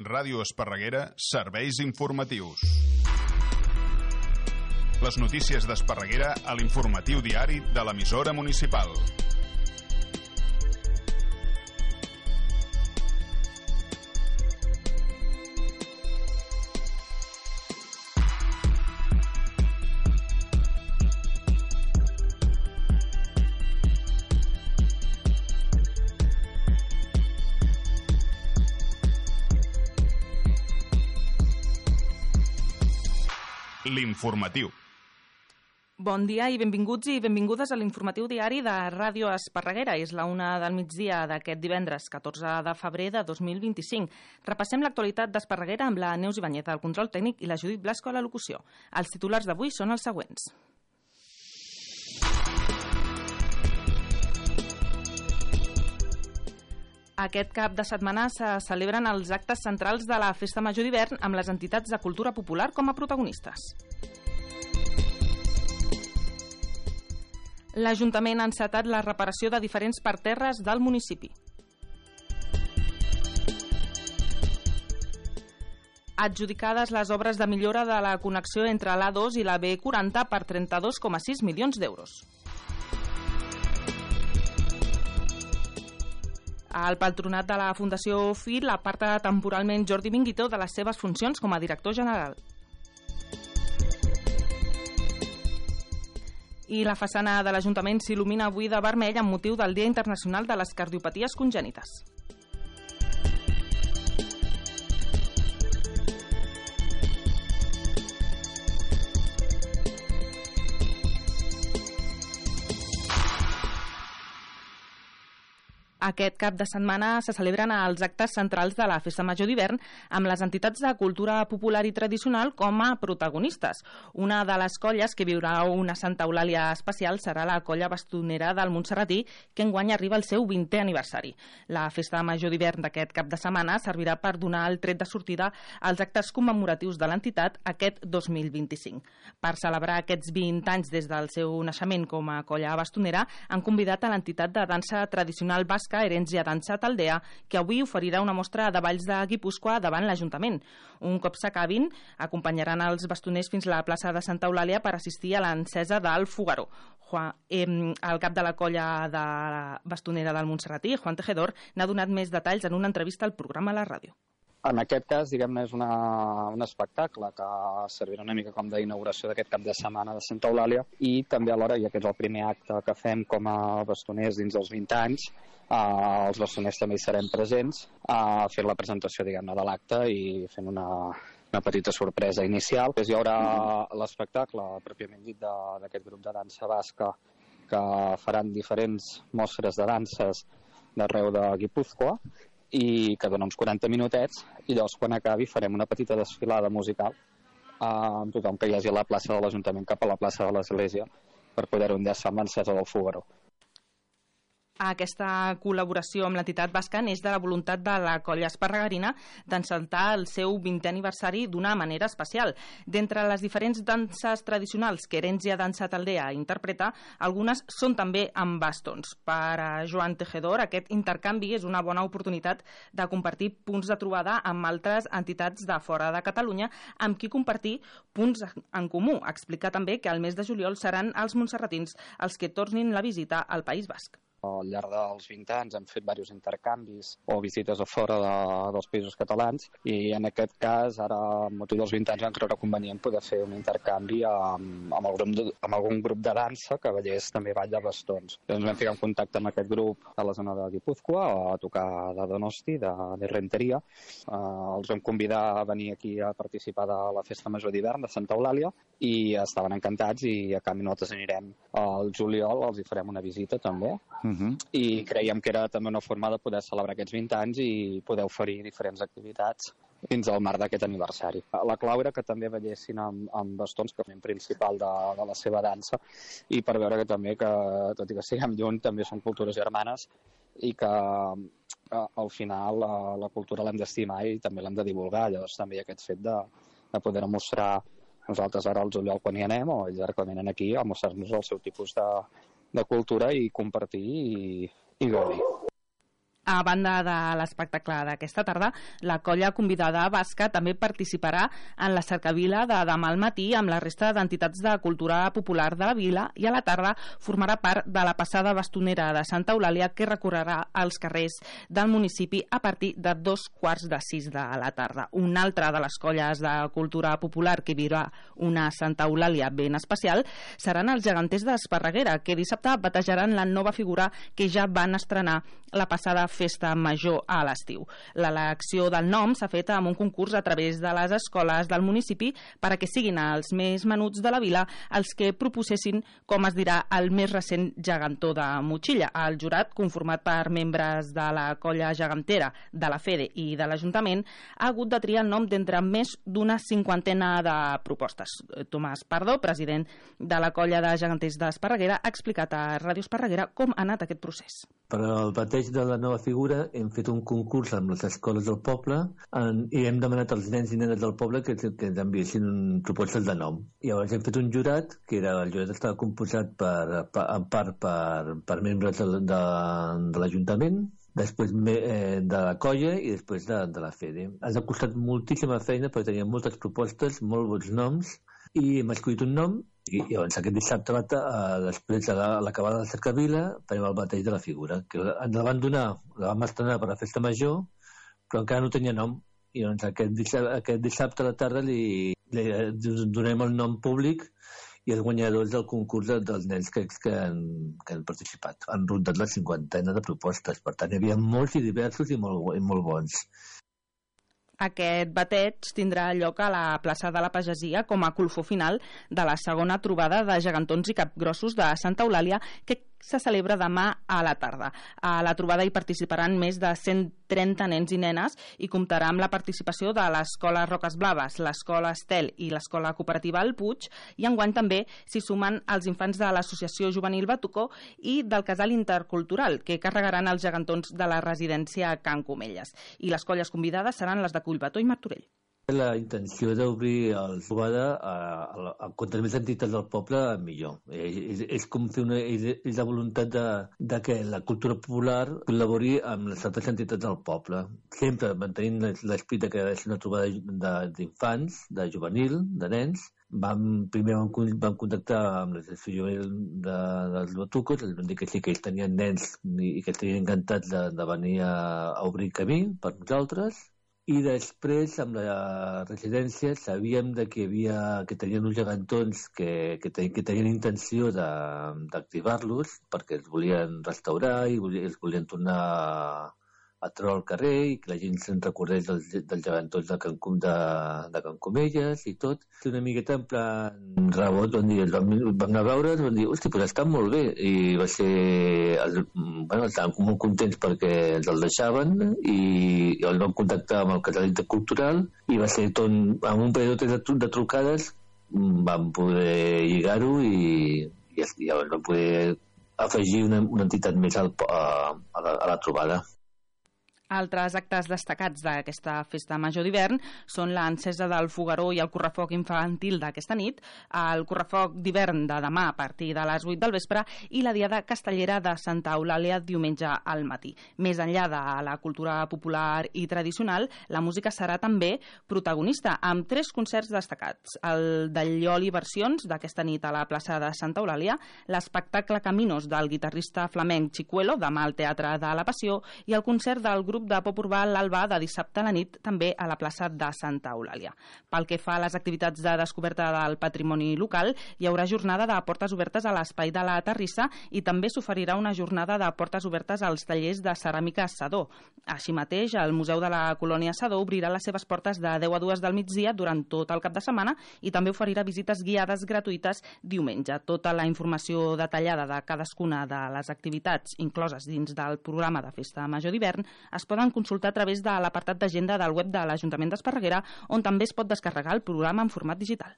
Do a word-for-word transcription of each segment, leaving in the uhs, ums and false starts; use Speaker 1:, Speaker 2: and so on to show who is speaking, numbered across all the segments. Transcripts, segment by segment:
Speaker 1: Ràdio Esparreguera, serveis informatius. Les notícies d'Esparreguera a l'informatiu diari de l'emissora municipal. L'informatiu.
Speaker 2: Bon dia i benvinguts i benvingudes a l'informatiu diari de Ràdio Esparreguera. És la una del migdia d'aquest divendres, catorze de febrer de dos mil vint-i-cinc. Repassem l'actualitat d'Esparreguera amb la Neus Ibanyeta al control tècnic i la Judit Blasco a la locució. Els titulars d'avui són els següents. Aquest cap de setmana se celebren els actes centrals de la Festa Major d'hivern amb les entitats de cultura popular com a protagonistes. L'Ajuntament ha encetat la reparació de diferents parterres del municipi. Adjudicades les obres de millora de la connexió entre l'A dos i la B quaranta per trenta-dos coma sis milions d'euros. El patronat de la Fundació F I L aparta temporalment Jordi Minguito de les seves funcions com a director general. I la façana de l'Ajuntament s'il·lumina avui de vermell amb motiu del Dia Internacional de les Cardiopaties Congènites. Aquest cap de setmana se celebren els actes centrals de la Festa Major d'hivern amb les entitats de cultura popular i tradicional com a protagonistes. Una de les colles que viurà una Santa Eulàlia especial serà la colla bastonera del Montserratí, que enguany arriba al seu vintè aniversari. La Festa Major d'hivern d'aquest cap de setmana servirà per donar el tret de sortida als actes commemoratius de l'entitat aquest dos mil vint-i-cinc. Per celebrar aquests vint anys des del seu naixement com a colla bastonera, han convidat a l'entitat de dansa tradicional basca Herència Dansa Taldea, que avui oferirà una mostra de balls de Guipúscoa davant l'Ajuntament. Un cop s'acabin, acompanyaran els bastoners fins a la plaça de Santa Eulàlia per assistir a l'encesa del Fogueró. Juan, eh, el cap de la colla de la bastonera del Montserratí, Juan Tejedor, n'ha donat més detalls en una entrevista al programa a la ràdio.
Speaker 3: En aquest cas, diguem-ne, és una, un espectacle que servirà una mica com d'inauguració d'aquest cap de setmana de Santa Eulàlia i també alhora, ja que és el primer acte que fem com a bastoners dins dels vint anys, eh, els bastoners també hi serem presents a fer la presentació, diguem-ne, de l'acte i fent una, una petita sorpresa inicial. Hi haurà l'espectacle, pròpiament dit, d'aquest grup de dansa basca que faran diferents mostres de danses d'arreu de Guipúscoa i que dona uns quaranta minutets, i llavors quan acabi farem una petita desfilada musical eh, amb tothom que hi hagi a la plaça de l'Ajuntament cap a la plaça de l'Església per poder-ho enllaçar amb l'encesa del Fogueró.
Speaker 2: Aquesta col·laboració amb l'entitat basca neix de la voluntat de la colla esparregarina d'encertar el seu vintè aniversari d'una manera especial. D'entre les diferents danses tradicionals que Herència Dansa Taldea interpreta, algunes són també amb bastons. Per a Joan Tejedor, aquest intercanvi és una bona oportunitat de compartir punts de trobada amb altres entitats de fora de Catalunya amb qui compartir punts en comú. Explica també que al mes de juliol seran els montserratins els que tornin la visita al País Basc.
Speaker 3: Al llarg dels vint anys hem fet diversos intercanvis o visites a fora de, dels països catalans i en aquest cas, ara, amb motiu dels vint anys, vam creure convenient poder fer un intercanvi amb, amb, el grup de, amb algun grup de dansa que veiés també ball de bastons. Ens vam ficar en contacte amb aquest grup a la zona de Guipúscoa, a tocar de Donosti, de, de Renteria. Uh, els vam convidar a venir aquí a participar de la Festa Major d'hivern de Santa Eulàlia i estaven encantats i a canvi nosaltres anirem al juliol, els hi farem una visita també. Uh-huh. I creiem que era també una forma de poder celebrar aquests vint anys i poder oferir diferents activitats fins al marc d'aquest aniversari. La clau era que també veiessin amb, amb bastons com a principal de, de la seva dansa i per veure que també, que tot i que siguem lluny, també són cultures germanes i que eh, al final la, la cultura l'hem d'estimar i també l'hem de divulgar. Llavors també hi ha aquest fet de, de poder mostrar nosaltres ara al juliol quan hi anem o ells ara quan venen aquí a mostrar-nos el seu tipus de, de cultura i compartir i, i gaudir.
Speaker 2: A banda de l'espectacle d'aquesta tarda, la colla convidada basca també participarà en la cercavila de demà al matí amb la resta d'entitats de cultura popular de la vila i a la tarda formarà part de la passada bastonera de Santa Eulàlia que recorrerà als carrers del municipi a partir de dos quarts de sis de la tarda. Una altra de les colles de cultura popular que viurà una Santa Eulàlia ben especial seran els geganters d'Esparreguera, que dissabte batejaran la nova figura que ja van estrenar la passada festa major a l'estiu. L'elecció del nom s'ha fet amb un concurs a través de les escoles del municipi perquè siguin els més menuts de la vila els que proposessin, com es dirà, el més recent gegantó de motxilla. El jurat, conformat per membres de la colla gegantera, de la Fede i de l'Ajuntament, ha hagut de triar el nom d'entre més d'una cinquantena de propostes. Tomàs Pardo, president de la colla de geganters d'Esparreguera, ha explicat a Ràdio Esparreguera com ha anat aquest procés.
Speaker 4: Per al bateig de la nova figura hem fet un concurs amb les escoles del poble en, i hem demanat als nens i nenes del poble que, que ens enviessin propostes de nom. I llavors hem fet un jurat, que era, el jurat estava composat per, per, en part per, per membres de, de, de l'Ajuntament, després eh, de la colla i després de, de la Fede. Ens ha costat moltíssima feina perquè teníem moltes propostes, molt bons noms, i hem escollit un nom i llavors aquest dissabte, uh, després de l'acabar la cercavila, farem el bateig de la figura, que ens la van donar, la vam estrenar per la festa major, però encara no tenia nom, i llavors aquest dissabte, aquest dissabte a la tarda li, li donem el nom públic i els guanyadors del concurs dels nens que, que, han, que han participat. Han rondat la cinquantena de propostes, per tant hi havia molts i diversos i molt, i molt bons.
Speaker 2: Aquest bateig tindrà lloc a la plaça de la Pagesia com a colofó final de la segona trobada de gegantons i capgrossos de Santa Eulàlia que se celebra demà a la tarda. A la trobada hi participaran més de cent trenta nens i nenes i comptarà amb la participació de l'Escola Roques Blaves, l'Escola Estel i l'Escola Cooperativa El Puig, i enguany també s'hi sumen els infants de l'Associació Juvenil Batucó i del Casal Intercultural, que carregaran els gegantons de la residència Can Comelles. I les colles convidades seran les de Collbató i Martorell.
Speaker 4: La intenció d'obrir el trobada a, a, a contra més entitats del poble, millor. És, és com fer una, és, és la voluntat de, de que la cultura popular col·labori amb les altres entitats del poble. Sempre mantenint l'esperit que ha de ser una trobada d'infants, de, de juvenil, de nens. Vam, primer vam, vam contactar amb l'associació juvenil de, dels Batucos, els vam dir que sí, que ells tenien nens i que estarien encantats de, de venir a, a obrir camí per nosaltres. I després, amb la residència, sabíem de que, havia, que tenien uns gegantons que, que, ten, que tenien intenció d'activar-los perquè els volien restaurar i volien, els volien tornar a treure al carrer i que la gent se'n recordés dels, dels gegantons de Can, de, de Can Comelles i tot. Una miqueta en plan rebot, van dir, els vam, vam anar a veure, van dir, hosti, doncs estan molt bé. I va ser, el, bueno, estaven molt contents perquè ens el deixaven i, i els vam contactar amb el Casal Intercultural i va ser tot, amb un parell de, de trucades vam poder lligar-ho i, i, i llavors vam poder afegir una, una entitat més al, a, a, la, a la trobada.
Speaker 2: Altres actes destacats d'aquesta festa major d'hivern són l'encesa del fogueró i el correfoc infantil d'aquesta nit, el correfoc d'hivern de demà a partir de les vuit del vespre i la diada castellera de Santa Eulàlia diumenge al matí. Més enllà de la cultura popular i tradicional, la música serà també protagonista, amb tres concerts destacats. El del Lloli Versions d'aquesta nit a la plaça de Santa Eulàlia, l'espectacle Caminos del guitarrista flamenc Chicuelo, demà al Teatre de la Passió, i el concert del grup de pop urbà l'Alba de dissabte a la nit també a la plaça de Santa Eulàlia. Pel que fa a les activitats de descoberta del patrimoni local, hi haurà jornada de portes obertes a l'Espai de la Terrissa i també s'oferirà una jornada de portes obertes als tallers de ceràmica Sedó. Així mateix, el Museu de la Colònia Sedó obrirà les seves portes de deu a dues del migdia durant tot el cap de setmana i també oferirà visites guiades gratuïtes diumenge. Tota la informació detallada de cadascuna de les activitats incloses dins del programa de Festa Major d'hivern es poden consultar a través de l'apartat d'agenda del web de l'Ajuntament d'Esparreguera, on també es pot descarregar el programa en format digital.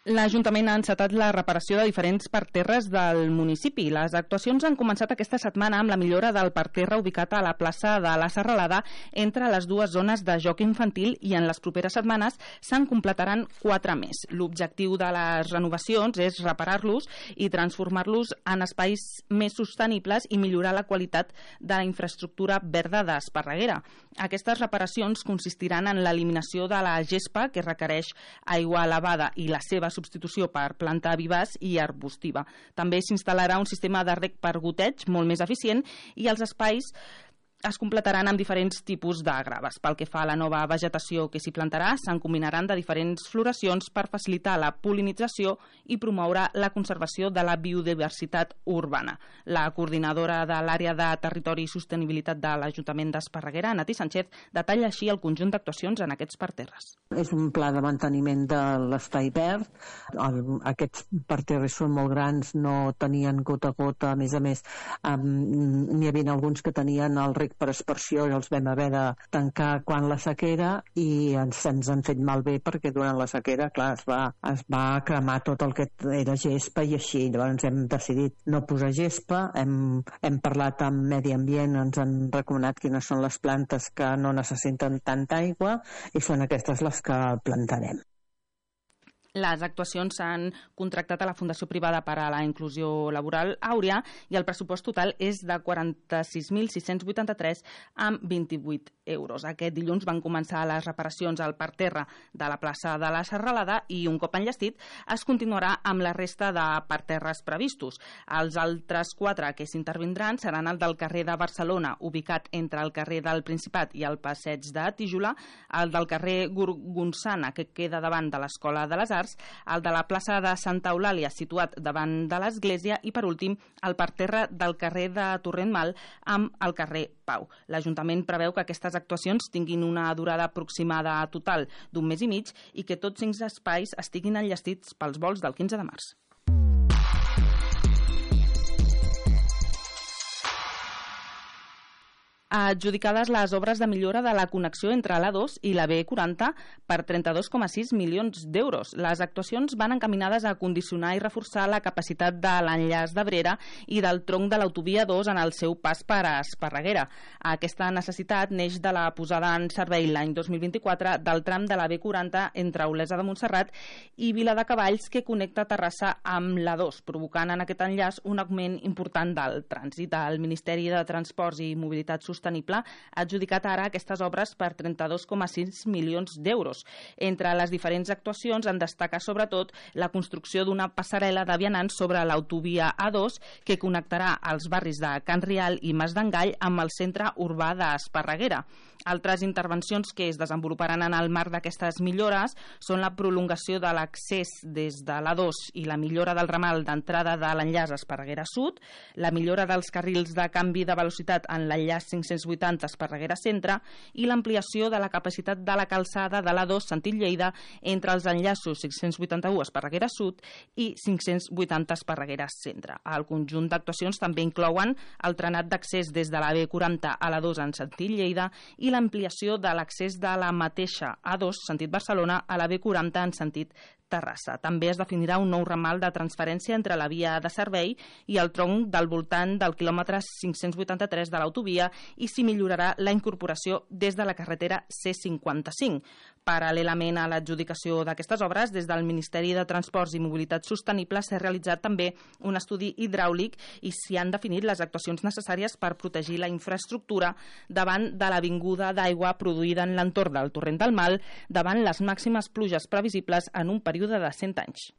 Speaker 2: L'Ajuntament ha encetat la reparació de diferents parterres del municipi. Les actuacions han començat aquesta setmana amb la millora del parterre ubicat a la plaça de la Serralada entre les dues zones de joc infantil i en les properes setmanes se'n completaran quatre més. L'objectiu de les renovacions és reparar-los i transformar-los en espais més sostenibles i millorar la qualitat de la infraestructura verda d'Esparreguera. Aquestes reparacions consistiran en l'eliminació de la gespa, que requereix aigua elevada, i la seva substitució per planta vivaç i arbustiva. També s'instal·larà un sistema de reg per goteig molt més eficient i els espais es completaran amb diferents tipus de graves. Pel que fa a la nova vegetació que s'hi plantarà, se'n combinaran de diferents floracions per facilitar la pol·linització i promoure la conservació de la biodiversitat urbana. La coordinadora de l'àrea de Territori i Sostenibilitat de l'Ajuntament d'Esparreguera, Nati Sánchez, detalla així el conjunt d'actuacions en aquests parterres.
Speaker 5: És un pla de manteniment de l'espai verd. Aquests parterres són molt grans, no tenien gota a gota, a més a més, n'hi havia alguns que tenien el reg per aspersió i els vam haver de tancar quan la sequera i ens, ens han fet malbé perquè durant la sequera, clar, es va, es va cremar tot el que era gespa i així. Llavors hem decidit no posar gespa, hem, hem parlat amb Medi Ambient, ens han recomanat quines són les plantes que no necessiten tanta aigua i són aquestes les que plantarem.
Speaker 2: Les actuacions s'han contractat a la Fundació Privada per a la Inclusió Laboral Àurea i el pressupost total és de quaranta-sis mil sis-cents vuitanta-tres amb vint-i-vuit euros. Aquest dilluns van començar les reparacions al parterre de la plaça de la Serralada i un cop enllestit es continuarà amb la resta de parterres previstos. Els altres quatre que s'intervindran seran el del carrer de Barcelona, ubicat entre el carrer del Principat i el passeig de Tíjola, el del carrer Gorgonçana, que queda davant de l'Escola de les Arts, el de la plaça de Santa Eulàlia, situat davant de l'església, i per últim el parterre del carrer de Torrent Mal amb el carrer Pau. L'Ajuntament preveu que aquestes actuacions tinguin una durada aproximada total d'un mes i mig i que tots cinc espais estiguin enllestits pels vols del quinze de març. Adjudicades les obres de millora de la connexió entre l'A dos i la B quaranta per trenta-dos coma sis milions d'euros. Les actuacions van encaminades a condicionar i reforçar la capacitat de l'enllaç d'Abrera i del tronc de l'autovia dos en el seu pas per a Esparreguera. Aquesta necessitat neix de la posada en servei l'any dos mil vint-i-quatre del tram de la B quaranta entre Olesa de Montserrat i Viladecavalls, que connecta Terrassa amb l'A dos, provocant en aquest enllaç un augment important del trànsit. El Ministeri de Transports i Mobilitat Sostenible Sostenible ha adjudicat ara aquestes obres per trenta-dos coma sis milions d'euros. Entre les diferents actuacions en destaca sobretot la construcció d'una passarel·la de vianants sobre l'autovia A dos que connectarà els barris de Can Rial i Mas d'Engall amb el centre urbà d'Esparreguera. Altres intervencions que es desenvoluparan en el marc d'aquestes millores són la prolongació de l'accés des de l'A dos i la millora del ramal d'entrada de l'enllaç Esparreguera Sud, la millora dels carrils de canvi de velocitat en l'enllaç cinc-cents vuitanta Esparreguera Centre i l'ampliació de la capacitat de la calçada de l'A dos sentit Lleida entre els enllaços cinc-cents vuitanta-u Esparreguera Sud i cinc-cents vuitanta Esparreguera Centre. El conjunt d'actuacions també inclouen el trenat d'accés des de la B quaranta a l'A dos en sentit Lleida i l'ampliació de l'accés de la mateixa A dos sentit Barcelona a la B quaranta en sentit Terrassa. També es definirà un nou ramal de transferència entre la via de servei i el tronc del voltant del quilòmetre cinc-cents vuitanta-tres de l'autovia i s'hi millorarà la incorporació des de la carretera C cinquanta-cinc. Paral·lelament a l'adjudicació d'aquestes obres, des del Ministeri de Transports i Mobilitat Sostenible s'ha realitzat també un estudi hidràulic i s'hi han definit les actuacions necessàries per protegir la infraestructura davant de la vinguda d'aigua produïda en l'entorn del Torrent del Mal davant les màximes pluges previsibles en un període de cent anys.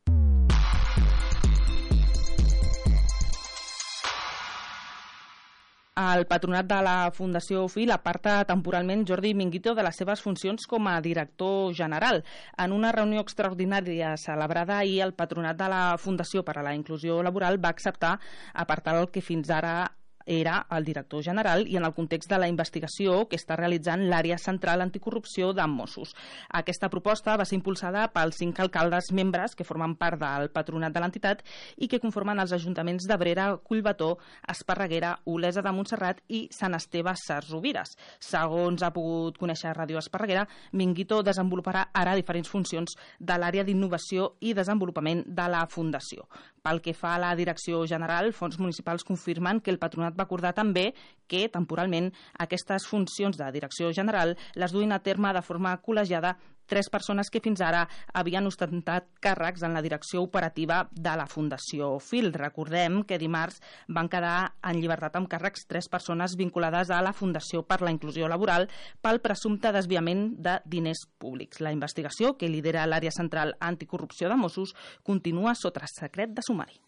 Speaker 2: El patronat de la Fundació FIL aparta temporalment Jordi Minguito de les seves funcions com a director general. En una reunió extraordinària celebrada ahir, el patronat de la Fundació per a la Inclusió Laboral va acceptar apartar el que fins ara era el director general i en el context de la investigació que està realitzant l'àrea central anticorrupció de Mossos. Aquesta proposta va ser impulsada pels cinc alcaldes membres que formen part del patronat de l'entitat i que conformen els ajuntaments d'Abrera, Collbató, Esparreguera, Olesa de Montserrat i Sant Esteve Sesrovires. Segons ha pogut conèixer Ràdio Esparreguera, Minguito desenvoluparà ara diferents funcions de l'àrea d'innovació i desenvolupament de la Fundació. Pel que fa a la direcció general, fons municipals confirmen que el patronat va acordar també que, temporalment, aquestes funcions de direcció general les duin a terme de forma col·legiada tres persones que fins ara havien ostentat càrrecs en la direcció operativa de la Fundació Fil. Recordem que dimarts van quedar en llibertat amb càrrecs tres persones vinculades a la Fundació per la Inclusió Laboral pel presumpte desviament de diners públics. La investigació, que lidera l'àrea central anticorrupció de Mossos, continua sota secret de sumari.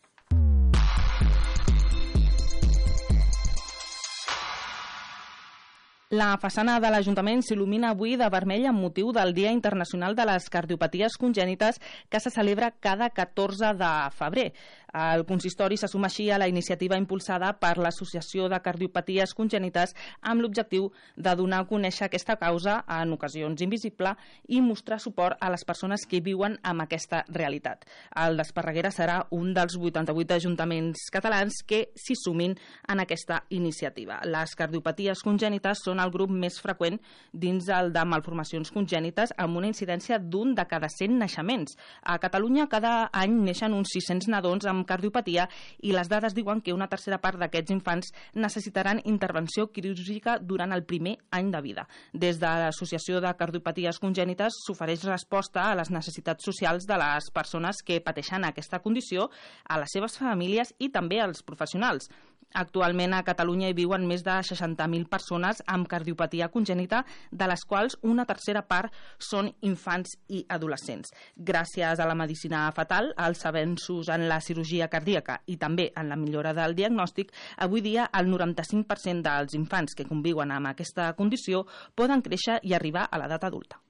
Speaker 2: La façana de l'Ajuntament s'il·lumina avui de vermell amb motiu del Dia Internacional de les Cardiopaties Congènites que se celebra cada catorze de febrer. El consistori se suma així a la iniciativa impulsada per l'Associació de Cardiopaties Congènites amb l'objectiu de donar a conèixer aquesta causa, en ocasions invisible, i mostrar suport a les persones que viuen amb aquesta realitat. El d'Esparreguera serà un dels vuitanta-vuit ajuntaments catalans que s'hi sumin en aquesta iniciativa. Les cardiopaties congènites són el grup més freqüent dins el de malformacions congènites amb una incidència d'un de cada cent naixements. A Catalunya cada any neixen uns sis-cents nadons amb cardiopatia i les dades diuen que una tercera part d'aquests infants necessitaran intervenció quirúrgica durant el primer any de vida. Des de l'Associació de Cardiopaties Congènites s'ofereix resposta a les necessitats socials de les persones que pateixen aquesta condició, a les seves famílies i també als professionals. Actualment a Catalunya hi viuen més de seixanta mil persones amb cardiopatia congènita, de les quals una tercera part són infants i adolescents. Gràcies a la medicina fetal, als avenços en la cirurgia cardíaca i també en la millora del diagnòstic, avui dia el noranta-cinc per cent dels infants que conviuen amb aquesta condició poden créixer i arribar a l'edat adulta.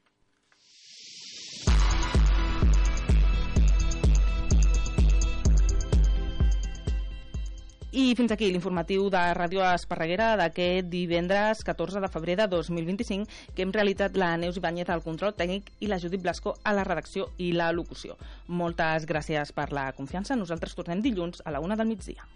Speaker 2: I fins aquí l'informatiu de Ràdio Esparreguera d'aquest divendres catorze de febrer de dos mil vint-i-cinc, que hem realitzat la Neus Ibáñez al control tècnic i la Judit Blasco a la redacció i la locució. Moltes gràcies per la confiança. Nosaltres tornem dilluns a la una del migdia.